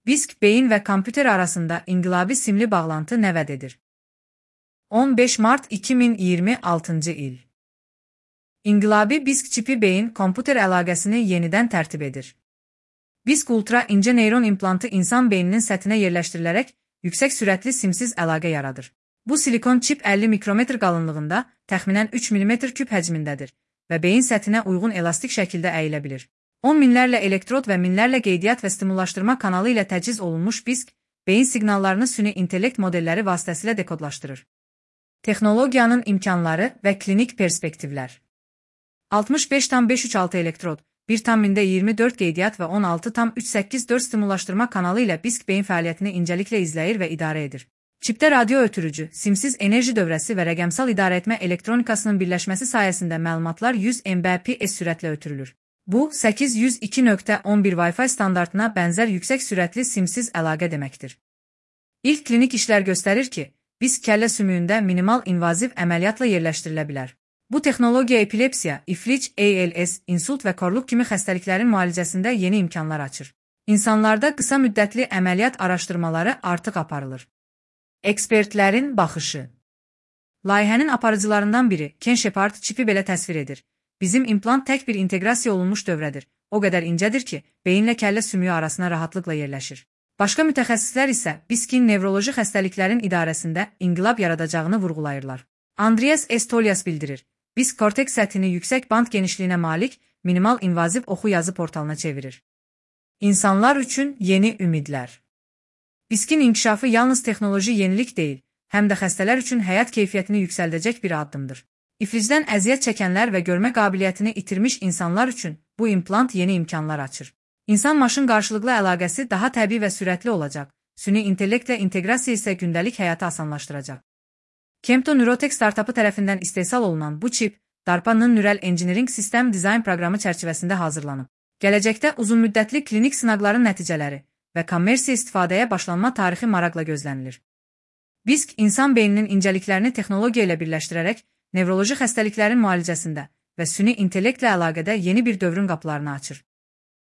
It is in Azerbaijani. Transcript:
BISK, beyin ve kompüter arasında inqilabi simli bağlantı nə vəd edir? 15 Mart 2026 il. İnqilabi BISK çipi beyin-kompüter əlaqəsini yenidən tərtib edir. BISK ultra incə neyron implantı insan beyninin səthinə yerləşdirilərək yüksək sürətli simsiz əlaqə yaradır. Bu silikon çip 50 mikrometr qalınlığında, təxminən 3 mm küp həcmindədir və beyin səthinə uyğun elastik şəkildə əyilə bilir. 10 minlərlə elektrod və minlərlə qeydiyyat və stimullaşdırma kanalı ilə təchiz olunmuş BISK, beyin siqnallarını süni intellekt modelləri vasitəsilə dekodlaşdırır. Texnologiyanın imkanları və klinik perspektivlər. 65,536 elektrod, 1,24 qeydiyyat və 16,384 stimullaşdırma kanalı ilə BISK beyin fəaliyyətini incəliklə izləyir və idarə edir. Çipdə radio ötürücü, simsiz enerji dövrəsi və rəqəmsal idarəetmə elektronikasının birləşməsi sayəsində məlumatlar 100 Mbps sürətlə ötürülür. Bu, 802.11 Wi-Fi standartına bənzər yüksək sürətli simsiz əlaqə deməkdir. İlk klinik işlər göstərir ki, BISK kəllə sümüyündə minimal invaziv əməliyyatla yerləşdirilə bilər. Bu texnologiya epilepsiya, iflic, ALS, insult və korluq kimi xəstəliklərin müalicəsində yeni imkanlar açır. İnsanlarda qısa müddətli əməliyyat araşdırmaları artıq aparılır. Ekspertlərin baxışı. Layihənin aparıcılarından biri, Ken Shepard, çipi belə təsvir edir. Bizim implant tək bir inteqrasiya olunmuş dövrədir. O qədər incədir ki, beyinlə kəllə sümüyü arasına rahatlıqla yerləşir. Başqa mütəxəssislər isə BISK-in nevroloji xəstəliklərin idarəsində inqilab yaradacağını vurğulayırlar. Andreas Estolias bildirir. BISK korteks səthini yüksək band genişliyinə malik, minimal invaziv oxu yazı portalına çevirir. İnsanlar üçün yeni ümidlər. BISK-in inkişafı yalnız texnoloji yenilik deyil, həm də xəstələr üçün həyat keyfiyyətini yüksəldəcək bir addımdır. İflicdən əziyyət çəkənlər və görmə qabiliyyətini itirmiş insanlar üçün bu implant yeni imkanlar açır. İnsan-maşın qarşılıqlı əlaqəsi daha təbii və sürətli olacaq, süni intellektlə inteqrasiya isə gündəlik həyatı asanlaşdıracaq. Kempto Neurotech startapı tərəfindən istehsal olunan bu çip, DARPA-nın Neural Engineering System Design proqramı çərçivəsində hazırlanıb. Gələcəkdə uzunmüddətli klinik sınaqların nəticələri və kommersiya istifadəyə başlanma tarixi maraqla gözlənilir. BISK, insan beyninin incəliklərini texnologiya ilə birləşdirərək, nevroloji xəstəliklərin müalicəsində və süni intellektlə əlaqədə yeni bir dövrün qapılarını açır.